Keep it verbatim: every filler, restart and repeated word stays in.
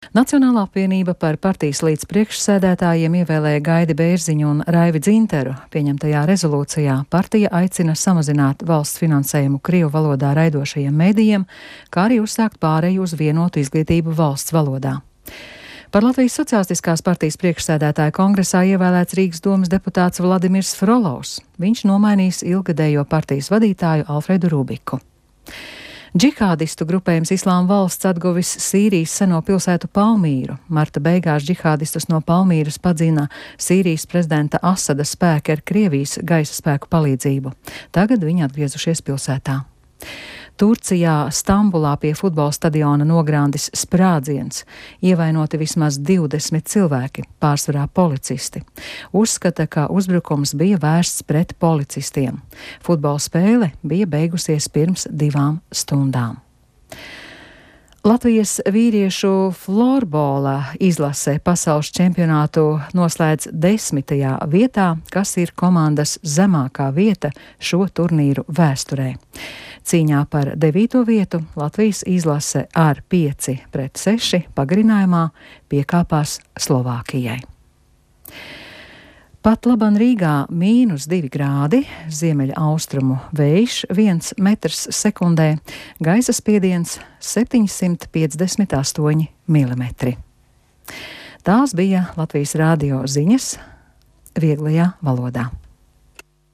Nacionālā apvienība par partijas līdzpriekšsēdētājiem ievēlēja Gaidi Bērziņu un Raivi Dzinteru. Pieņemtajā rezolūcijā partija aicina samazināt valsts finansējumu krievu valodā raidošajiem medijiem, kā arī uzsākt pāreju uz vienotu izglītību valsts valodā. Par Latvijas Sociālistiskās partijas priekšsēdētāja kongresā ievēlēts Rīgas domas deputāts Vladimirs Frolovs. Viņš nomainīs ilgadējo partijas vadītāju Alfredu Rubiku. Džihādistu grupējums Islāma valsts atguvis Sīrijas seno pilsētu Palmīru. Marta beigās džihādistus no Palmīras padzina Sīrijas prezidenta Asada spēki ar Krievijas gaisa spēku palīdzību. Tagad viņi atgriezušies pilsētā. Turcijā Stambulā pie futbola stadiona nogrāndis sprādziens. Ievainoti vismaz divdesmit cilvēki, pārsvarā policisti. Uzskata, ka uzbrukums bija vērsts pret policistiem. Futbola spēle bija beigusies pirms divām stundām. Latvijas vīriešu florbola izlase pasaules čempionātu noslēdz desmitajā vietā, kas ir komandas zemākā vieta šo turnīru vēsturē. Cīņā par devīto vietu Latvijas izlase ar pieci pret seši pagarinājumā piekāpās Slovākijai. Pat laban Rīgā mīnus divi grādi, ziemeļa austrumu vējš viens metrs sekundē, gaisa spiediens septiņsimt piecdesmit astoņi milimetri. Tās bija Latvijas radio ziņas vieglajā valodā.